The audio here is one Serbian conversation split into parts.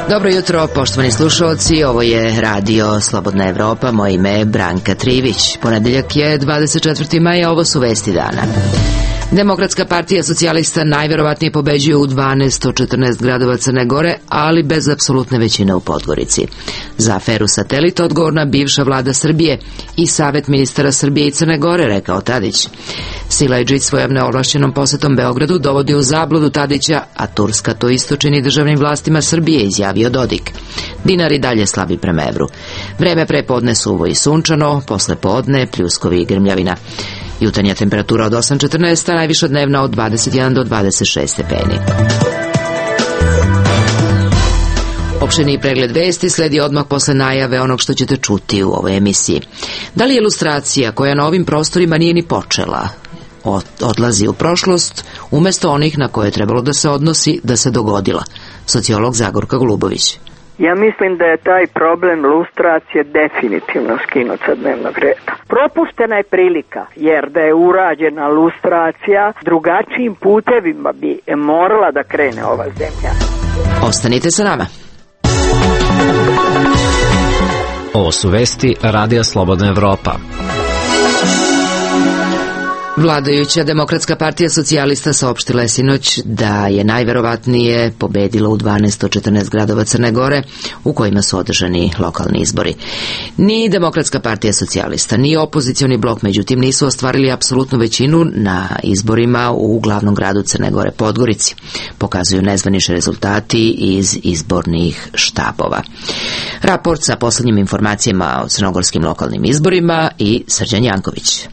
Dobro jutro, poštovani slušalci, ovo je Radio Slobodna Evropa, moje ime je Branka Trivić. Ponedeljak je 24. maja, ovo su vesti dana. Demokratska partija socijalista najverovatnije pobeđuje u 12 od 14 gradova Crne Gore, ali bez apsolutne većine u Podgorici. Za aferu Satelit odgovorna bivša vlada Srbije i Savet ministara Srbije i Crne Gore, rekao Tadić. Silajdžić svojom neovlašćenom posetom Beogradu dovodi u zabludu Tadića, a Turska to isto čini državnim vlastima Srbije, izjavio Dodik. Dinar i dalje slabi prema evru. Vreme pre podne suvo i sunčano, posle podne pljuskovi i grmljavina. Jutarnja temperatura od 8,14, a najviša dnevna od 21 do 26 stepeni. Opširni pregled vesti sledi odmah posle najave onog što ćete čuti u ovoj emisiji. Da li je ilustracija koja na ovim prostorima nije ni počela, odlazi u prošlost, umesto onih na koje je trebalo da se odnosi, da se dogodila? Sociolog Zagorka Golubović. Ja mislim da je taj problem lustracije definitivno skinut sa dnevnog reda. Propuštena je prilika, jer da je urađena lustracija, drugačijim putevima bi morala da krene ova zemlja. Ostanite sa nama. Ovo su vesti Radija Slobodna Evropa. Vladajuća Demokratska partija socijalista saopštila je sinoć da je najverovatnije pobedila u 12 od 14 gradova Crne Gore u kojima su održani lokalni izbori. Ni Demokratska partija socijalista, ni opozicioni blok, međutim, nisu ostvarili apsolutnu većinu na izborima u glavnom gradu Crne Gore, Podgorici, pokazuju nezvanični rezultati iz izbornih štabova. Raport sa poslednjim informacijama o crnogorskim lokalnim izborima i Srđan Janković.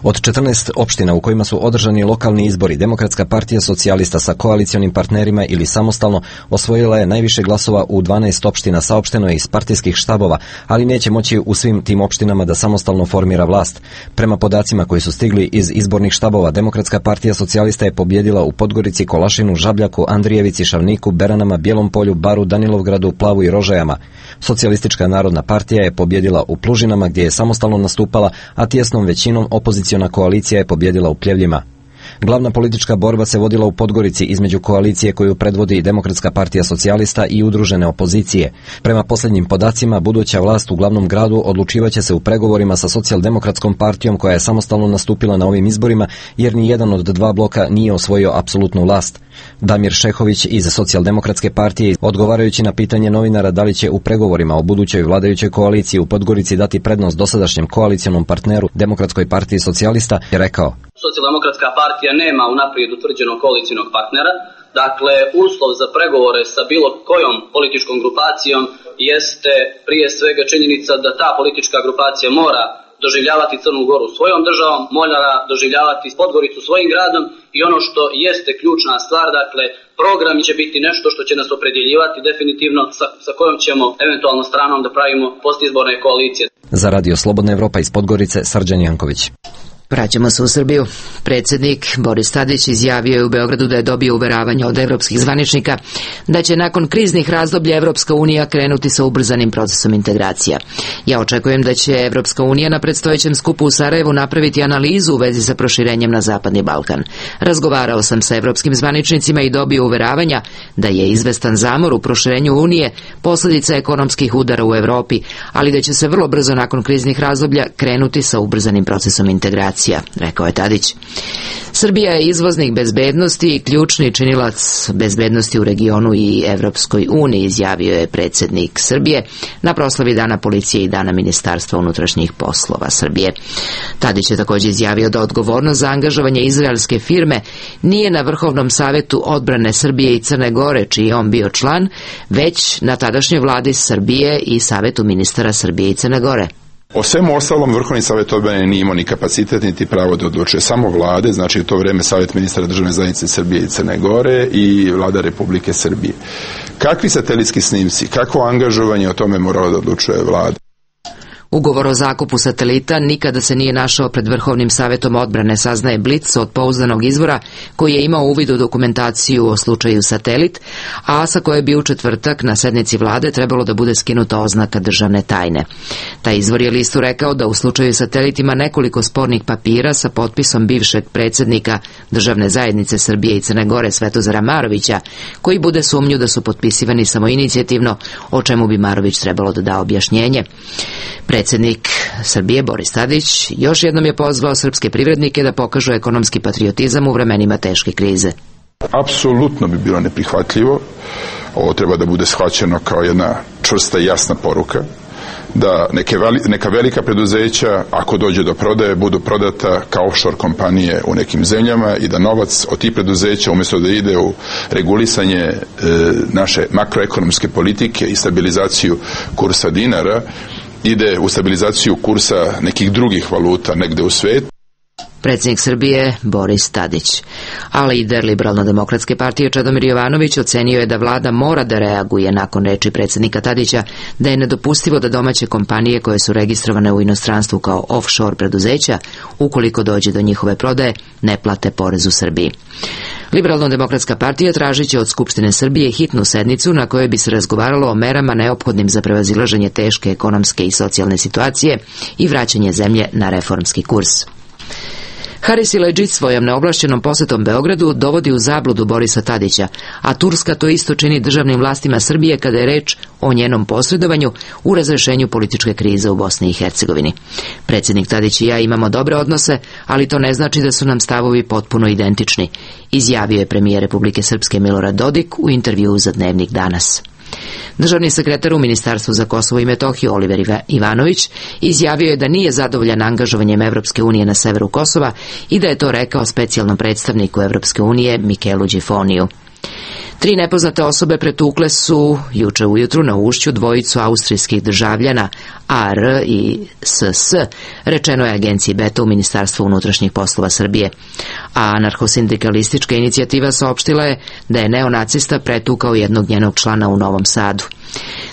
Od 14 opština u kojima su održani lokalni izbori, Demokratska partija socijalista sa koalicionim partnerima ili samostalno osvojila je najviše glasova u 12 opština, saopšteno je iz partijskih štabova, ali neće moći u svim tim opštinama da samostalno formira vlast. Prema podacima koji su stigli iz izbornih štabova, Demokratska partija socijalista je pobjedila u Podgorici, Kolašinu, Žabljaku, Andrijevici, Šavniku, Beranama, Bijelom Polju, Baru, Danilovgradu, Plavu i Rožajama. Socijalistička narodna partija je pobjedila u Plužinama, gdje je samostalno nastupala, a tijesnom većinom opoziciona koalicija je pobjedila u Pljevljima. Glavna politička borba se vodila u Podgorici između koalicije koju predvodi Demokratska partija socijalista i udružene opozicije. Prema posljednjim podacima, buduća vlast u glavnom gradu odlučivaće se u pregovorima sa Socijaldemokratskom partijom koja je samostalno nastupila na ovim izborima, jer ni jedan od dva bloka nije osvojio apsolutnu vlast. Damir Šehović iz Socijaldemokratske partije, odgovarajući na pitanje novinara da li će u pregovorima o budućoj vladajućoj koaliciji u Podgorici dati prednost dosadašnjem koalicionom partneru Demokratskoj partiji socijalista, je rekao: Socijaldemokratska partija nema unaprijed utvrđenog koalicionog partnera, dakle uslov za pregovore sa bilo kojom političkom grupacijom jeste prije svega činjenica da ta politička grupacija mora doživljavati Crnu Goru svojom državom, mora doživljavati Podgoricu svojim gradom i ono što jeste ključna stvar, dakle program će biti nešto što će nas opredjeljivati definitivno sa kojom ćemo eventualno stranom da pravimo postizborne koalicije. Za Radio Slobodna Evropa iz Podgorice, Srđan Janković. Vraćamo se u Srbiju. Predsjednik Boris Tadić izjavio je u Beogradu da je dobio uveravanje od evropskih zvaničnika da će nakon kriznih razdoblja Evropska unija krenuti sa ubrzanim procesom integracija. Ja očekujem da će Evropska unija na predstojećem skupu u Sarajevu napraviti analizu u vezi sa proširenjem na Zapadni Balkan. Razgovarao sam sa evropskim zvaničnicima i dobio uveravanja da je izvestan zamor u proširenju Unije posljedica ekonomskih udara u Evropi, ali da će se vrlo brzo nakon kriznih razdoblja krenuti sa ubrzanim procesom integracija, rekao je Tadić. Srbija je izvoznik bezbednosti i ključni činilac bezbednosti u regionu i Evropskoj uniji, izjavio je predsjednik Srbije na proslavi Dana policije i Dana Ministarstva unutrašnjih poslova Srbije. Tadić je također izjavio da odgovornost za angažovanje izraelske firme nije na Vrhovnom savetu odbrane Srbije i Crne Gore, čiji je on bio član, već na tadašnjoj vladi Srbije i Savetu ministara Srbije i Crne Gore. O svemu ostalom Vrhovni savjet odbrane nije imao ni kapacitet niti pravo da odlučuje, samo vlade, znači u to vrijeme Savjet ministara državne zajednice Srbije i Crne Gore i vlada Republike Srbije. Kakvi satelitski snimci, kakvo angažovanje, o tome moralo da odlučuje vlada. Ugovor o zakupu satelita nikada se nije našao pred Vrhovnim savetom odbrane, saznaje Blic od pouzdanog izvora koji je imao uvid u dokumentaciju o slučaju Satelit, a sa koje bi u četvrtak na sednici vlade trebalo da bude skinuta oznaka državne tajne. Taj izvor je listu rekao da u slučaju Satelit ima nekoliko spornih papira sa potpisom bivšeg predsjednika Državne zajednice Srbije i Crne Gore Svetozara Marovića, koji bude sumnju da su potpisivani samoinicijativno, o čemu bi Marović trebalo da da objašnjenje. Predsjednik Srbije Boris Tadić još jednom je pozvao srpske privrednike da pokažu ekonomski patriotizam u vremenima teške krize. Apsolutno bi bilo neprihvatljivo, ovo treba da bude shvaćeno kao jedna čvrsta i jasna poruka, da neka velika preduzeća, ako dođe do prodaje, budu prodata kao offshore kompanije u nekim zemljama i da novac od tih preduzeća, umjesto da ide u regulisanje naše makroekonomske politike i stabilizaciju kursa dinara, ide u stabilizaciju kursa nekih drugih valuta negde u svetu. Predsjednik Srbije Boris Tadić. A lider Liberalno-demokratske partije Čedomir Jovanović ocenio je da vlada mora da reaguje nakon reči predsjednika Tadića da je nedopustivo da domaće kompanije koje su registrovane u inostranstvu kao offshore preduzeća, ukoliko dođe do njihove prodaje, ne plate porez u Srbiji. Liberalno-demokratska partija tražit će od Skupštine Srbije hitnu sednicu na kojoj bi se razgovaralo o merama neophodnim za prevazilaženje teške ekonomske i socijalne situacije i vraćanje zemlje na reformski kurs. Haris Siledžić svojom neovlašćenom posetom Beogradu dovodi u zabludu Borisa Tadića, a Turska to isto čini državnim vlastima Srbije kada je reč o njenom posredovanju u razrešenju političke krize u Bosni i Hercegovini. Predsjednik Tadić i ja imamo dobre odnose, ali to ne znači da su nam stavovi potpuno identični, izjavio je premijer Republike Srpske Milorad Dodik u intervjuu za Dnevnik Danas. Državni sekretar u Ministarstvu za Kosovo i Metohiju Oliver Ivanović izjavio je da nije zadovoljan angažovanjem Evropske unije na severu Kosova i da je to rekao specijalnom predstavniku Evropske unije Mikelu Đifoniju. 3 nepoznate osobe pretukle su juče ujutru na Ušću dvojicu austrijskih državljana AR i SS, rečeno je agenciji Beta u Ministarstvu unutrašnjih poslova Srbije. A anarhosindikalistička inicijativa saopštila je da je neonacista pretukao jednog njenog člana u Novom Sadu.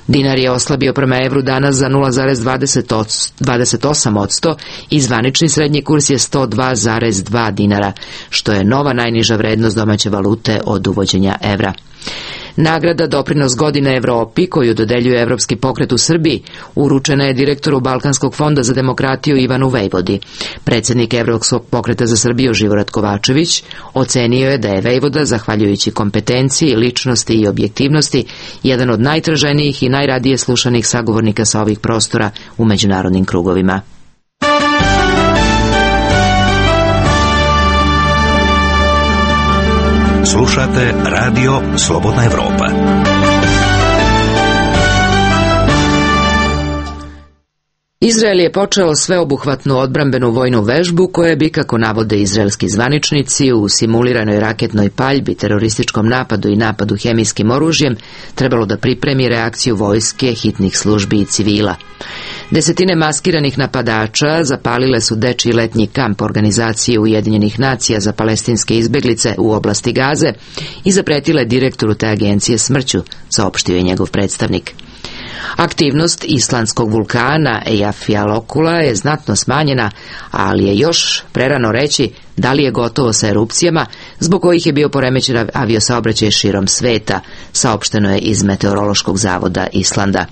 Dinar je oslabio prema evru danas za 0,28% i zvanični srednji kurs je 102,2 dinara, što je nova najniža vrednost domaće valute od uvođenja evra. Nagrada Doprinos godine Evropi, koju dodeljuje Evropski pokret u Srbiji, uručena je direktoru Balkanskog fonda za demokratiju Ivanu Vejvodi. Predsjednik Evropskog pokreta za Srbiju Živorad Kovačević ocenio je da je Vejvoda, zahvaljujući kompetenciji, ličnosti i objektivnosti, jedan od najtraženijih i najradije slušanih sagovornika sa ovih prostora u međunarodnim krugovima. Slušate Radio Slobodna Evropa. Izrael je počeo sveobuhvatnu odbrambenu vojnu vežbu koja bi, kako navode izraelski zvaničnici, u simuliranoj raketnoj paljbi, terorističkom napadu i napadu hemijskim oružjem trebalo da pripremi reakciju vojske, hitnih službi i civila. Desetine maskiranih napadača zapalile su dečiji letnji kamp Organizacije Ujedinjenih nacija za palestinske izbeglice u oblasti Gaze i zapretile direktoru te agencije smrću, saopštio je njegov predstavnik. Aktivnost islandskog vulkana Eyjafjallajökulla je znatno smanjena, ali je još prerano reći da li je gotovo sa erupcijama, zbog kojih je bio poremećen aviosaobraćaj širom sveta, saopšteno je iz Meteorološkog zavoda Islanda.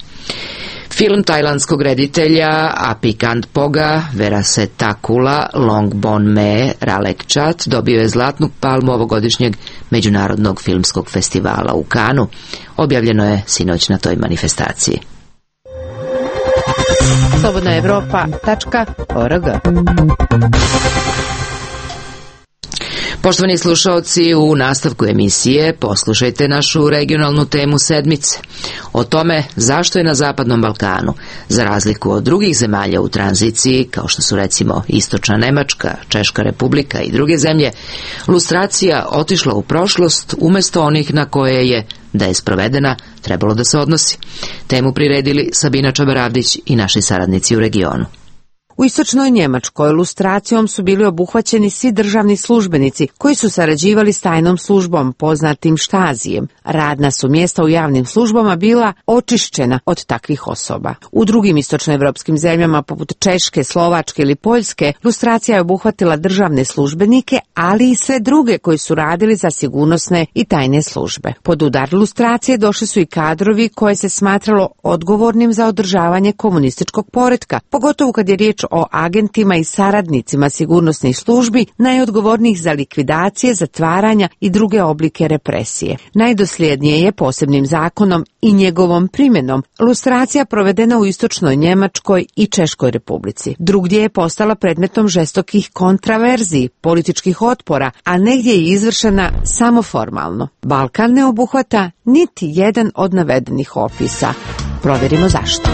Film tajlandskog reditelja Apikantpoga Verasetakula Longbonme Ralekchat dobio je zlatnu palmu ovogodišnjeg Međunarodnog filmskog festivala u Kanu. Objavljeno je sinoć na toj manifestaciji. slobodnaevropa.org. Poštovani slušaoci, u nastavku emisije poslušajte našu regionalnu temu sedmice. O tome zašto je na Zapadnom Balkanu, za razliku od drugih zemalja u tranziciji, kao što su recimo Istočna Nemačka, Češka Republika i druge zemlje, lustracija otišla u prošlost umjesto onih na koje je, da je sprovedena, trebalo da se odnosi. Temu priredili Sabina Čabaravdić i naši saradnici u regionu. U istočnoj Njemačkoj lustracijom su bili obuhvaćeni svi državni službenici koji su sarađivali s tajnom službom, poznatim štazijem. Radna su mjesta u javnim službama bila očišćena od takvih osoba. U drugim istočnoevropskim zemljama poput Češke, Slovačke ili Poljske lustracija je obuhvatila državne službenike, ali i sve druge koji su radili za sigurnosne i tajne službe. Pod udar lustracije došli su i kadrovi koje se smatralo odgovornim za održavanje komunističkog poretka, pogotovo kad je riječ o agentima i saradnicima sigurnosnih službi, najodgovornijih za likvidacije, zatvaranja i druge oblike represije. Najdosljednije je posebnim zakonom i njegovom primjenom lustracija provedena u istočnoj Njemačkoj i Češkoj republici. Drugdje je postala predmetom žestokih kontraverziji, političkih otpora, a negdje je izvršena samo formalno. Balkan ne obuhvata niti jedan od navedenih opisa. Provjerimo zašto.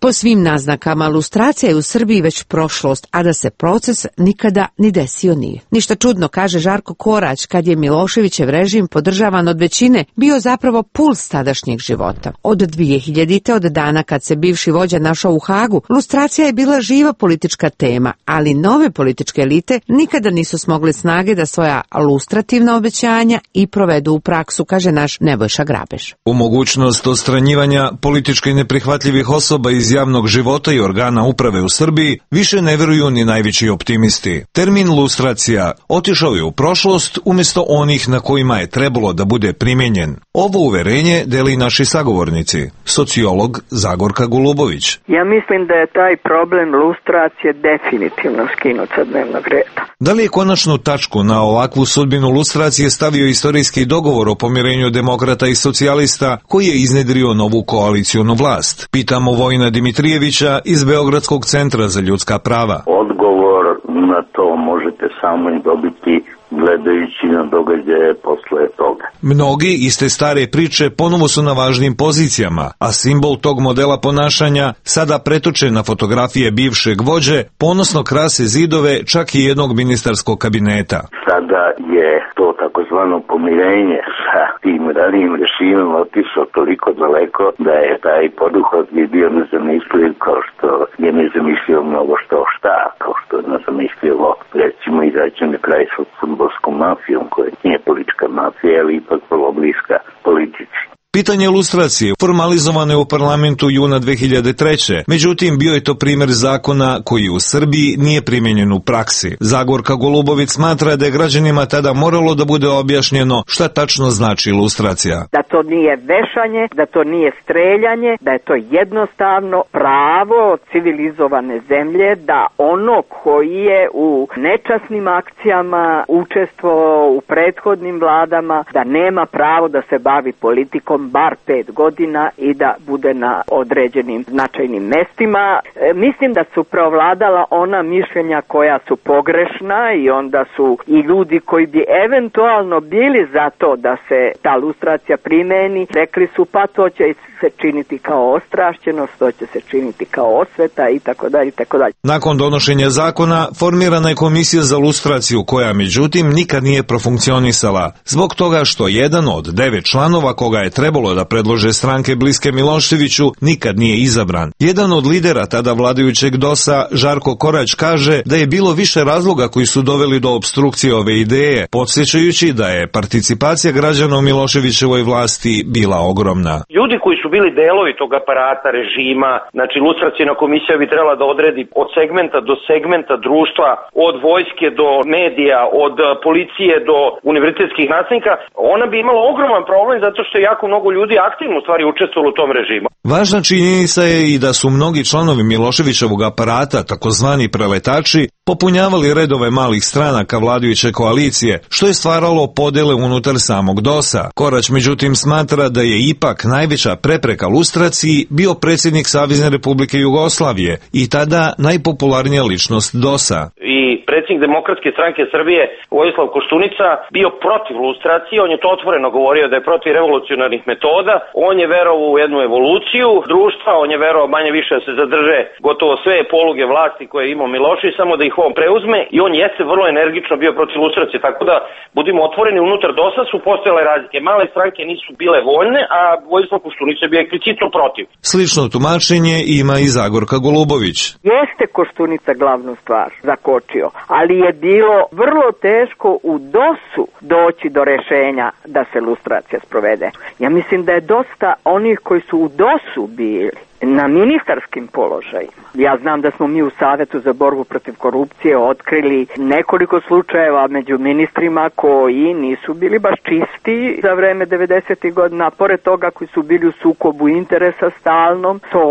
Po svim naznakama, lustracija je u Srbiji već prošlost, a da se proces nikada ni desio nije. Ništa čudno, kaže Žarko Korać, kad je Miloševićev režim, podržavan od većine, bio zapravo puls tadašnjeg života. Od 2000. od dana kad se bivši vođa našao u Hagu, lustracija je bila živa politička tema, ali nove političke elite nikada nisu smogle snage da svoja lustrativna obećanja i provedu u praksu, kaže naš Nebojša Grabež. U mogućnost odstranjivanja politički neprihvatljivih osoba iz javnog života i organa uprave u Srbiji više ne vjeruju ni najveći optimisti. Termin lustracija otišao je u prošlost umjesto onih na kojima je trebalo da bude primijenjen. Ovo uverenje deli naši sagovornici, sociolog Zagorka Golubović. Ja mislim da je taj problem lustracije definitivno skinut sa dnevnog reda. Da li je konačnu tačku na ovakvu sudbinu lustracije stavio istorijski dogovor o pomirenju demokrata i socijalista koji je iznedrio novu koalicijonu vlast? Pitamo Vojina Dimitrijevića iz Beogradskog centra za ljudska prava. Odgovor na to možete samo i dobiti gledajući na događaje posle toga. Mnogi iz te stare priče ponovo su na važnim pozicijama, a simbol tog modela ponašanja sada pretoče na fotografije bivšeg vođe, ponosno krase zidove čak i jednog ministarskog kabineta. Sada je to takozvano pomirenje sa tim ranijim režimom otišao toliko daleko da je taj poduhvat bio nezamisliv, kao što je nezamislivo mnogo šta, kao što je nezamislivo recimo izaći na kraj sa fudbalskom mafijom, koja nije politička mafija, ali ipak vrlo bliska politici. Pitanje lustracije formalizovano je u parlamentu juna 2003. Međutim, bio je to primjer zakona koji u Srbiji nije primijenjen u praksi. Zagorka Golubović smatra da je građanima tada moralo da bude objašnjeno šta tačno znači lustracija. Da to nije vešanje, da to nije streljanje, da je to jednostavno pravo civilizovane zemlje, da ono koji je u nečasnim akcijama učestvovao u prethodnim vladama, da nema pravo da se bavi politikom bar 5 godina i da bude na određenim značajnim mestima. Mislim da su preovladala ona mišljenja koja su pogrešna i onda su i ljudi koji bi eventualno bili za to da se ta lustracija primeni, rekli su pa to će se činiti kao ostrašćenost, to će se činiti kao osveta i tako dalje i tako dalje. Nakon donošenja zakona formirana je komisija za lustraciju koja međutim nikad nije profunkcionisala zbog toga što jedan od 9 članova koga je trebalo da predlože stranke bliske Miloševiću nikad nije izabran. Jedan od lidera tada vladajućeg DOS-a, Žarko Korać, kaže da je bilo više razloga koji su doveli do opstrukcije ove ideje, podsjećajući da je participacija građana u Miloševićevoj vlasti bila ogromna. Ljudi koji su bili delovi tog aparata režima, znači lustracijna komisija bi trebala da odredi od segmenta do segmenta društva, od vojske do medija, od policije do univerzitetskih nastavnika, ona bi imala ogroman problem zato što je jako mnogo ljudi aktivno u stvari učestvovalo u tom režimu. Važna činjenica je i da su mnogi članovi Miloševićevog aparata, takozvani preletači, popunjavali redove malih stranaka vladajuće koalicije, što je stvaralo podele unutar samog DOS-a. Korać međutim smatra da je ipak najveća prepreka lustraciji bio predsjednik Savezne Republike Jugoslavije i tada najpopularnija ličnost DOS-a. I predsjednik Demokratske stranke Srbije Vojislav Koštunica bio protiv lustracije, on je to otvoreno govorio da je protiv revolucionarnih metoda, on je verovao u jednu evoluciju društva, on je verovao manje više da se zadrže gotovo sve poluge vlasti koje je imao Milošević, samo da ih njihovom preuzme i on jeste vrlo energično bio protiv lustracije, tako da budimo otvoreni, unutar DOS-a su postojale razlike. Male stranke nisu bile voljne, a Vojislav Koštunica je bio eksplicitno protiv. Slično tumačenje ima i Zagorka Golubović. Jeste Koštunica glavnu stvar zakočio, ali je bilo vrlo teško u DOS-u doći do rešenja da se lustracija sprovede. Ja mislim da je dosta onih koji su u DOS-u bili na ministarskim položajima. Ja znam da smo mi u Savetu za borbu protiv korupcije otkrili nekoliko slučajeva među ministrima koji nisu bili baš čisti za vreme 90. godina. Pored toga koji su bili u sukobu interesa stalnom, to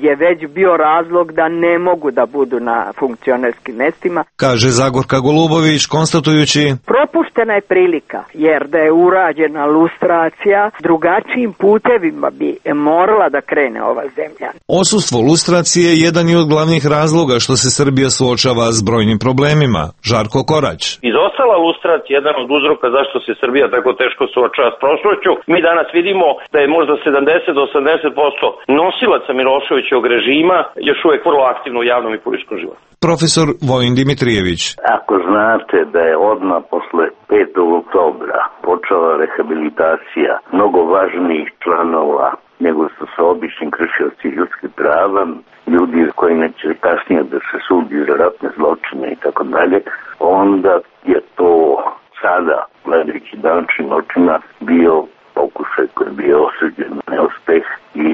je već bio razlog da ne mogu da budu na funkcionerskim mestima. Kaže Zagorka Golubović, konstatujući: propuštena je prilika, jer da je urađena lustracija, drugačijim putevima bi morala da krene ova zemlja. Osustvo lustracije je jedan i od glavnih razloga što se Srbija suočava s brojnim problemima. Žarko Korać. Izostala lustracija je jedan od uzroka zašto se Srbija tako teško suočava s prošlošću. Mi danas vidimo da je možda 70 do 80% nosilaca Miloševićevog režima još uvek vrlo aktivno u javnom i političkom životu. Profesor Vojin Dimitrijević. Ako znate da je odmah posle 5. oktobra počela rehabilitacija mnogo važnijih članova nego što su obični kršioci ljudskih prava, ljudi koji neće kasnije da se sudi za ratne zločine i tako dalje, onda je to sada, gledajući današnjim očima, bio pokušaj koji je bio osuđen na neuspeh i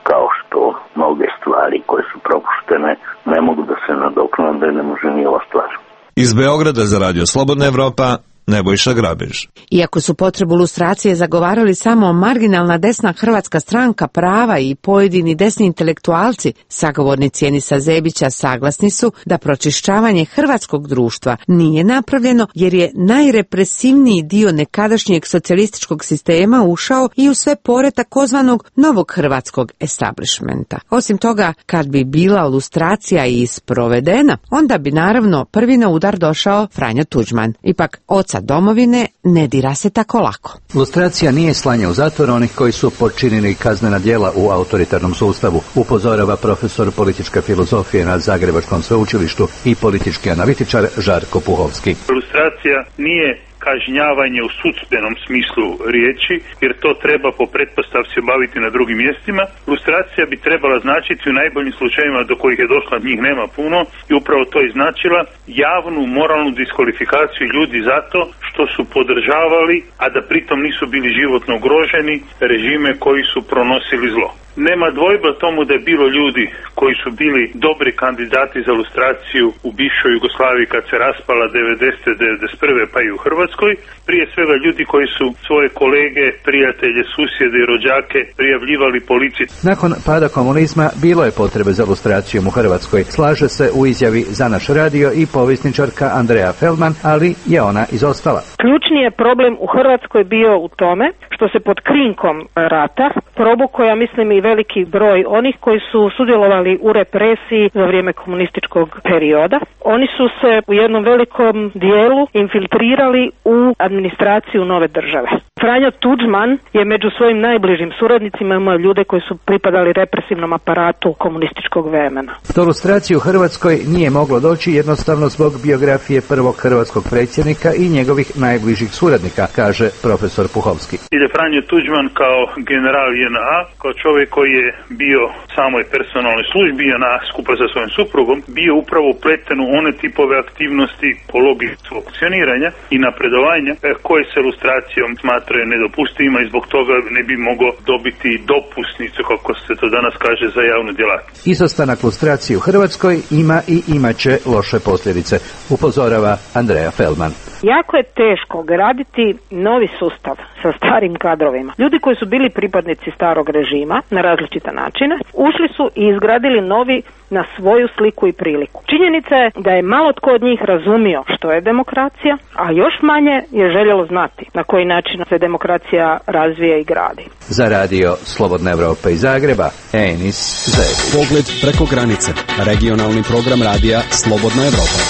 kao što mnoge stvari koje su propuštene ne mogu da se nadoknade, ne može ni ova stvar. Iz Beograda za Radio Slobodna Evropa, Nebojša Grabež. Iako su potrebu lustracije zagovarali samo marginalna desna Hrvatska stranka prava i pojedini desni intelektualci, sagovornici Enisa Zebića saglasni su da pročišćavanje hrvatskog društva nije napravljeno jer je najrepresivniji dio nekadašnjeg socijalističkog sistema ušao i u sve pore takozvanog novog hrvatskog establishmenta. Osim toga, kad bi bila lustracija i sprovedena, onda bi naravno prvi na udar došao Franjo Tuđman. Ipak, oca domovine ne dira se tako lako. Lustracija nije slanje u zatvor onih koji su počinili kaznena djela u autoritarnom sustavu, upozorava profesor političke filozofije na Zagrebačkom sveučilištu i politički analitičar Žarko Puhovski. Lustracija nije kažnjavanje u sudbenom smislu riječi, jer to treba po pretpostavci obaviti na drugim mjestima. Lustracija bi trebala značiti u najboljim slučajevima do kojih je došla, njih nema puno, i upravo to je značila javnu moralnu diskvalifikaciju ljudi zato što su podržavali, a da pritom nisu bili životno ugroženi, režime koji su pronosili zlo. Nema dvojba tomu da je bilo ljudi koji su bili dobri kandidati za lustraciju u bivšoj Jugoslaviji kad se raspala 90. 91. pa i u Hrvatskoj. Prije svega ljudi koji su svoje kolege, prijatelje, susjede i rođake prijavljivali policiji. Nakon pada komunizma bilo je potrebe za lustracijom u Hrvatskoj. Slaže se u izjavi za naš radio i povjesničarka Andrea Feldman, ali je ona izostala. Ključni je problem u Hrvatskoj bio u tome što se pod krinkom rata probukao, ja mislim, i veliki broj onih koji su sudjelovali u represiji za vrijeme komunističkog perioda. Oni su se u jednom velikom dijelu infiltrirali u administraciju nove države. Franjo Tuđman je među svojim najbližim suradnicima imao ljude koji su pripadali represivnom aparatu komunističkog vremena. Do lustracije u Hrvatskoj nije moglo doći jednostavno zbog biografije prvog hrvatskog predsjednika i njegovih najbližih suradnika, kaže profesor Puhovski. Franjo Tuđman kao general JNA, kao čovjek koji je bio u samoj personalnoj službi JNA skupa sa svojim suprugom, bio upravo upleten u one tipove aktivnosti po logici funkcioniranja i napredovanja koje se lustracijom smatraju nedopustivima i zbog toga ne bi mogao dobiti dopusnicu, kako se to danas kaže, za javnu djelatnost. Izostanak lustracije u Hrvatskoj ima i imaće loše posljedice, upozorava Andrea Feldman. Jako je teško graditi novi sustav sa starim kadrovima. Ljudi koji su bili pripadnici starog režima na različite načine, ušli su i izgradili novi na svoju sliku i priliku. Činjenica je da je malo tko od njih razumio što je demokracija, a još manje je željelo znati na koji način se demokracija razvija i gradi. Za radio Slobodna Evropa iz Zagreba, Enis Zebić. Pogled preko granice. Regionalni program radija Slobodna Evropa.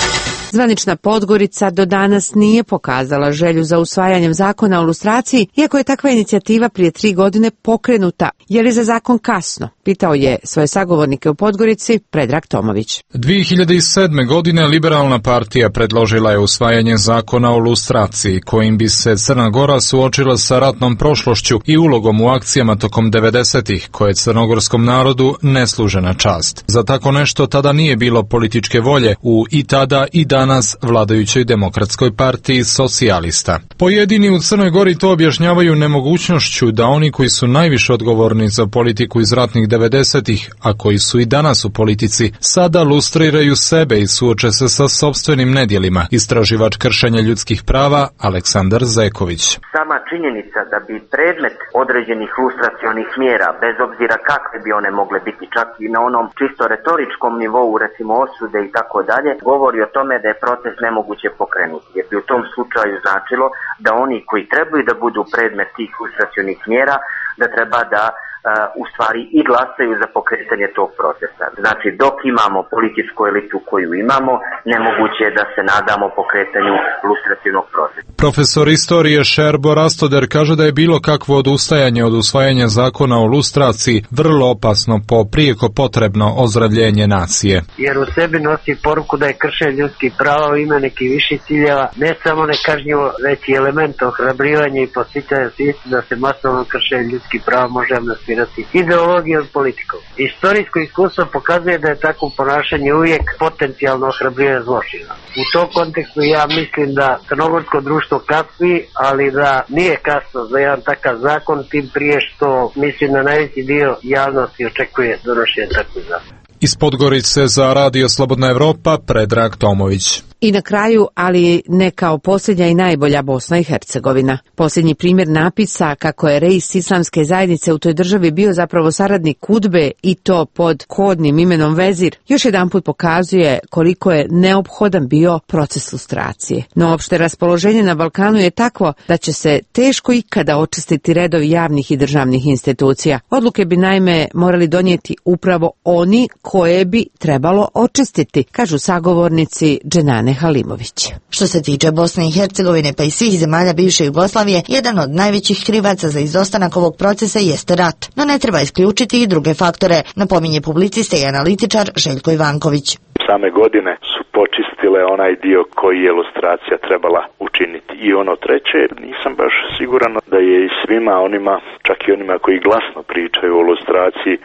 Zvanična Podgorica do danas nije pokazala želju za usvajanjem zakona o lustraciji, iako je takva inicijativa prije 3 godine pokrenuta. Je li za zakon kasno? Pitao je svoje sagovornike u Podgorici Predrag Tomović. 2007. godine Liberalna partija predložila je usvajanje zakona o lustraciji, kojim bi se Crna Gora suočila sa ratnom prošlošću i ulogom u akcijama tokom 90-ih, koje crnogorskom narodu ne služe na čast. Za tako nešto tada nije bilo političke volje u i tada i danas vladajućoj Demokratskoj partiji socijalista. Pojedini u Crnoj Gori to objašnjavaju nemogućnošću da oni koji su najviše odgovorni za politiku iz ratnih 90-ih, a koji su i danas u politici, sada lustriraju sebe i suoče se sa sopstvenim nedjelima. Istraživač kršenja ljudskih prava Aleksandar Zeković. Sama činjenica da bi predmet određenih lustracionih mjera, bez obzira kakve bi one mogle biti, čak i na onom čisto retoričkom nivou, recimo osude i tako dalje, govori o tome da je proces nemoguće pokrenuti. Jer bi u tom slučaju značilo da oni koji trebaju da budu predmet tih lustracionih mjera, da treba da u stvari i glasaju za pokretanje tog procesa. Znači, dok imamo političku elitu koju imamo, nemoguće je da se nadamo pokretanju lustracionog procesa. Profesor istorije Šerbo Rastoder kaže da je bilo kakvo odustajanje od usvajanja zakona o lustraciji vrlo opasno po prijeko potrebno ozdravljenje nacije. Jer u sebi nosi poruku da je kršenje ljudskih prava u ime nekih viših ciljeva, ne samo nekažnjivo, već i element ohrabrivanja i podsjećanja svijesti da se masovno kršenje ljudskih prava može amnestirati ideologijom i politikom. Istorijsko iskustvo pokazuje da je takvo ponašanje uvijek potencijalno ohrabrivanje zločina. U tom kontekstu ja mislim da crnogorsko društvo kasni, ali da nije kasno za jedan takav zakon, tim prije što mislim da najveći dio javnosti očekuje donošenje takvog zakona. Iz Podgorice za Radio Slobodna Evropa Predrag Tomović. I na kraju, ali ne kao posljednja i najbolja, Bosna i Hercegovina. Posljednji primjer napisa kako je reis islamske zajednice u toj državi bio zapravo saradnik Kudbe i to pod kodnim imenom Vezir, još jedanput pokazuje koliko je neophodan bio proces lustracije. No opšte raspoloženje na Balkanu je takvo da će se teško ikada očistiti redovi javnih i državnih institucija. Odluke bi naime morali donijeti upravo oni koje bi trebalo očistiti, kažu sagovornici Dženane Halimović. Što se tiče Bosne i Hercegovine pa i svih zemalja bivše Jugoslavije, jedan od najvećih krivaca za izostanak ovog procesa jeste rat, no ne treba isključiti i druge faktore, napominje publicista i analitičar Željko Ivanković. Same godine su počistile onaj dio koji je lustracija trebala učiniti. I ono treće, nisam baš siguran da je i svima onima, čak i onima koji glasno pričaju o lustraciji,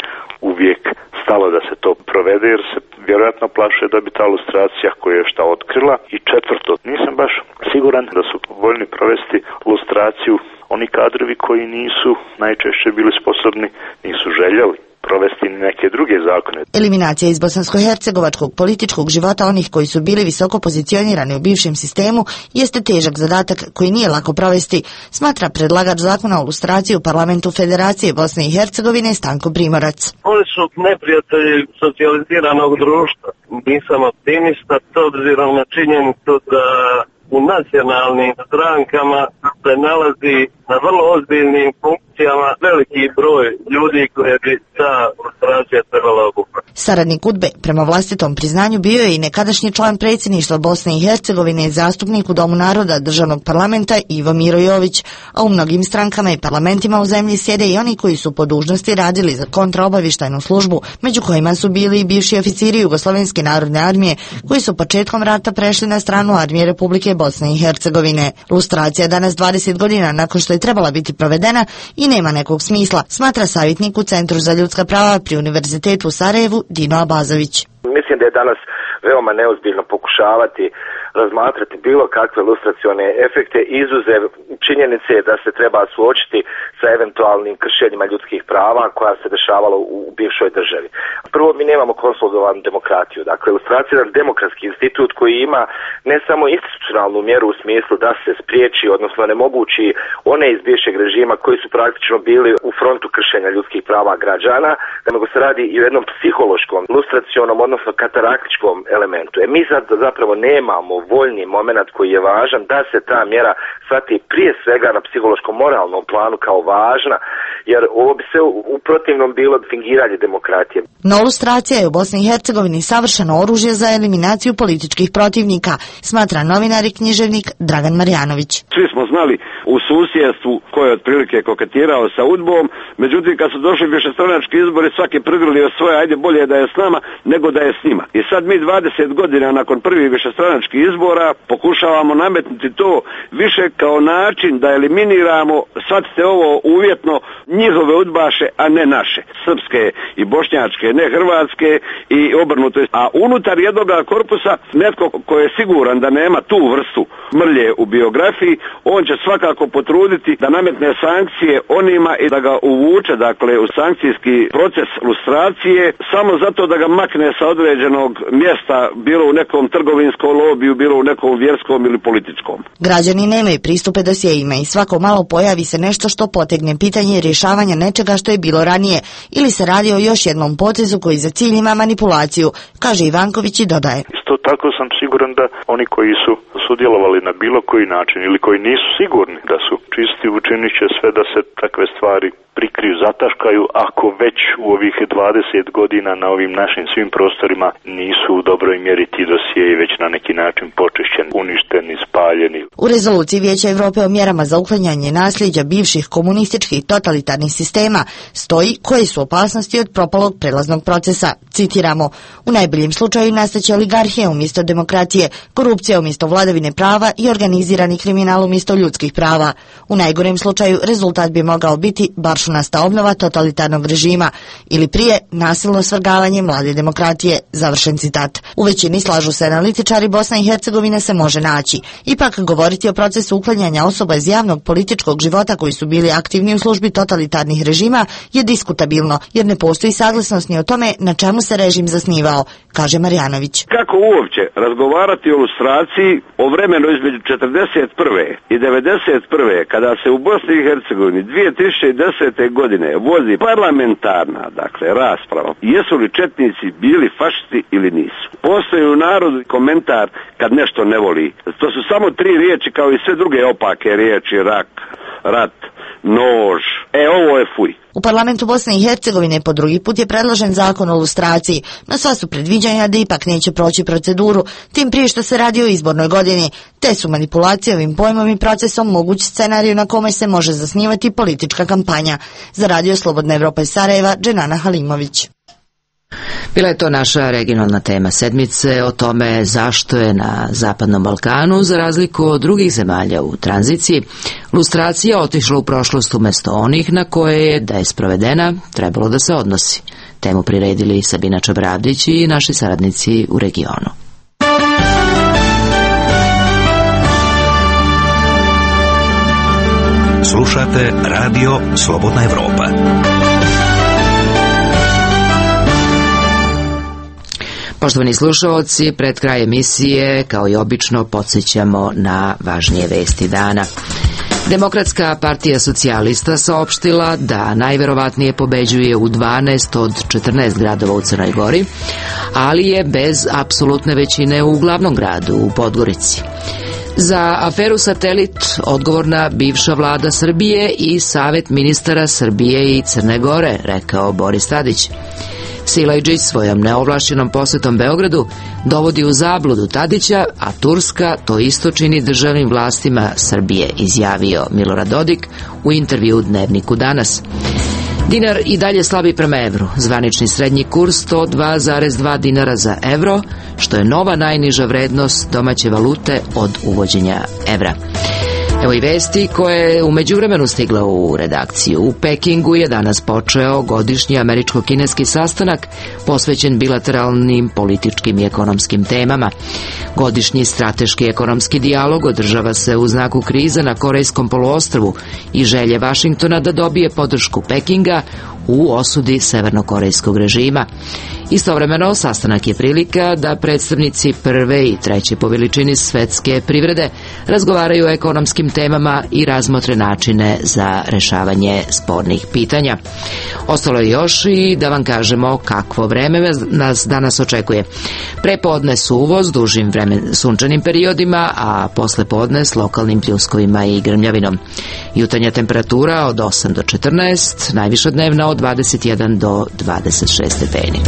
uvijek stalo da se to provede, jer se vjerojatno plaše da bi ta lustracija koja je šta otkrila. I četvrto, nisam baš siguran da su voljni provesti lustraciju oni kadrovi koji nisu najčešće bili sposobni, nisu željeli provesti neke druge zakone. Eliminacija iz bosansko-hercegovačkog političkog života onih koji su bili visoko pozicionirani u bivšem sistemu jeste težak zadatak koji nije lako provesti, smatra predlagač zakona o lustraciji u parlamentu Federacije Bosne i Hercegovine Stanko Primorac. Oni su neprijatelji socijaliziranog društva. Nisam optimista, to obzirom na činjenicu da u nacionalnim strankama se nalazi na vrlo ozbiljnim funkcijama veliki broj ljudi koje bi ta lustracija trebala obuhvatiti. Saradnik Udbe, prema vlastitom priznanju, bio je i nekadašnji član predsjedništva Bosne i Hercegovine i zastupnik u Domu naroda državnog parlamenta Ivo Miro Jović, a u mnogim strankama i parlamentima u zemlji sjede i oni koji su po dužnosti radili za kontraobavještajnu službu, među kojima su bili i bivši oficiri Jugoslovenske narodne armije, koji su početkom rata prešli na stranu armije Republike Bosne i Hercegovine. Lustracija danas 20 godina nakon što je trebala biti provedena i nema nekog smisla, smatra savjetnik u Centru za ljudska prava pri Univerzitetu u Sarajevu Dino Abazović. Mislim da je danas veoma neozbiljno pokušavati razmatrati bilo kakve lustracione efekte, izuzev činjenice da se treba suočiti sa eventualnim kršenjima ljudskih prava koja se dešavalo u bivšoj državi. Prvo, mi nemamo konsolidovanu demokratiju. Dakle, lustracija je jedan demokratski institut koji ima ne samo institucionalnu mjeru u smislu da se spriječi, odnosno nemogući one iz bivšeg režima koji su praktično bili u frontu kršenja ljudskih prava građana, nego se radi i o jednom psihološkom, lustracionom, odnosno kataraktičkom elementu. Mi sad zapravo nemamo voljni moment koji je važan da se ta mjera shvati prije svega na psihološkom moralnom planu kao važna jer ovo bi se u protivnom bilo fingiranje demokratije. No, lustracija je u Bosni i Hercegovini savršeno oružje za eliminaciju političkih protivnika, smatra novinar i književnik Dragan Marjanović. Svi smo znali u susjedstvu ko je otprilike koketirao sa UDBom, međutim kad su došli višestranački izbori svaki prigrlio svoje, ajde bolje da je s nama nego da je s njima. I sad mi 20 godina nakon prvih višestranačkih izbora pokušavamo nametnuti to više kao način da eliminiramo, shvatite ovo uvjetno, njihove udbaše, a ne naše. Srpske i bošnjačke, ne hrvatske i obrnuto. A unutar jednog korpusa netko ko je siguran da nema tu vrstu mrlje u biografiji, on će svakako potruditi da nametne sankcije onima i da ga uvuče, dakle, u sankcijski proces lustracije, samo zato da ga makne sa određenog mjesta, bilo u nekom trgovinskom lobiju, bilo u nekom vjerskom ili političkom. Građani nemaju pristupe dosjeima i svako malo pojavi se nešto što potegne pitanje rješavanja nečega što je bilo ranije ili se radi o još jednom potezu koji za cilj ima manipulaciju, kaže Ivanković i dodaje. Isto tako sam siguran da oni koji su sudjelovali na bilo koji način ili koji nisu sigurni da su čisti, učinit će sve da se takve stvari prikriju, zataškaju, ako već u ovih 20 godina na ovim našim svim prostorima nisu u dobroj mjeri ti dosjei već na neki način počišćeni, uništeni, spaljeni. U rezoluciji Vijeća Europe o mjerama za uklanjanje nasljeđa bivših komunističkih totalitarnih sistema stoji koje su opasnosti od propalog prelaznog procesa. Citiramo, u najboljem slučaju nastaće oligarhija umjesto demokracije, korupcija umjesto vladavine prava i organizirani kriminal umjesto ljudskih prava. U najgorem slučaju rezultat bi mogao biti baršunasta obnova totalitarnog režima ili prije nasilno svrgavanje mlade demokratije. Završen citat. U većini slažu se analitičari, Bosna i Hercegovina se može naći. Ipak govoriti o procesu uklanjanja osoba iz javnog političkog života koji su bili aktivni u službi totalitarnih režima je diskutabilno, jer ne postoji saglasnost ni o tome na čemu se režim zasnivao, kaže Marjanović. Kako uopće razgovarati o lustraciji o vremenu između 41. i 91. kada se u Bosni i Hercegovini 2010. godine vozi parlamentarna, dakle, rasprava, jesu li četnici bili fašisti ili nisu. Postoji u narodu komentar kad nešto ne voli. To su samo 3 riječi kao i sve druge opake riječi, rak, rat, nož. Ovo je fuj. U parlamentu Bosne i Hercegovine po drugi put je predložen zakon o lustraciji, no sva su predviđanja da ipak neće proći proceduru, tim prije što se radi o izbornoj godini, te su manipulacije ovim pojmom i procesom moguć scenarij na kome se može zasnivati politička kampanja. Za Radio Slobodna Evropa iz Sarajeva, Dženana Halimović. Bila je to naša regionalna tema sedmice o tome zašto je na Zapadnom Balkanu, za razliku od drugih zemalja u tranziciji, lustracija otišla u prošlost umjesto onih na koje je, da je sprovedena, trebalo da se odnosi. Temu priredili Sabina Čabravdić i naši saradnici u regionu. Slušate Radio Slobodna Evropa. Poštovani slušalci, pred kraj emisije, kao i obično, podsjećamo na važnije vesti dana. Demokratska partija socijalista saopštila da najverovatnije pobeđuje u 12 od 14 gradova u Crnoj Gori, ali je bez apsolutne većine u glavnom gradu, u Podgorici. Za aferu Satelit odgovorna bivša vlada Srbije i Savet ministara Srbije i Crne Gore, rekao Boris Tadić. Silajdžić svojom neovlašćenom posjetom Beogradu dovodi u zabludu Tadića, a Turska to isto čini državnim vlastima Srbije, izjavio Milorad Dodik u intervju u Dnevniku Danas. Dinar i dalje slabi prema evru, zvanični srednji kurs 102,2 dinara za evro, što je nova najniža vrednost domaće valute od uvođenja evra. Evo i vesti koje je u međuvremenu stigla u redakciju. U Pekingu je danas počeo godišnji američko-kineski sastanak posvećen bilateralnim političkim i ekonomskim temama. Godišnji strateški ekonomski dijalog održava se u znaku krize na Korejskom poluostrvu i želje Vašingtona da dobije podršku Pekinga u osudi severnokorejskog režima. Istovremeno, sastanak je prilika da predstavnici prve i treće po veličini svetske privrede razgovaraju o ekonomskim temama i razmotre načine za rešavanje spornih pitanja. Ostalo je još i da vam kažemo kakvo vreme nas danas očekuje. Prepodne suvo s dužim sunčanim periodima, a posle podne s lokalnim pljuskovima i grmljavinom. Jutarnja temperatura od 8 do 14, najviša dnevna od 21 do 26 stepeni.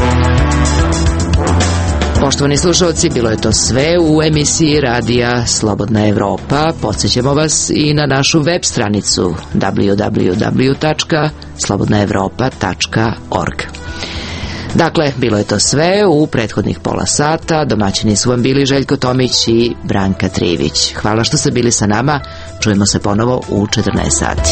Poštovani slušalci, bilo je to sve u emisiji Radija Slobodna Evropa. Podsjećamo vas i na našu web stranicu www.slobodnaevropa.org. Dakle, bilo je to sve u prethodnih pola sata. Domaćini su vam bili Željko Tomić i Branka Trivić. Hvala što ste bili sa nama. Čujemo se ponovo u 14 sati.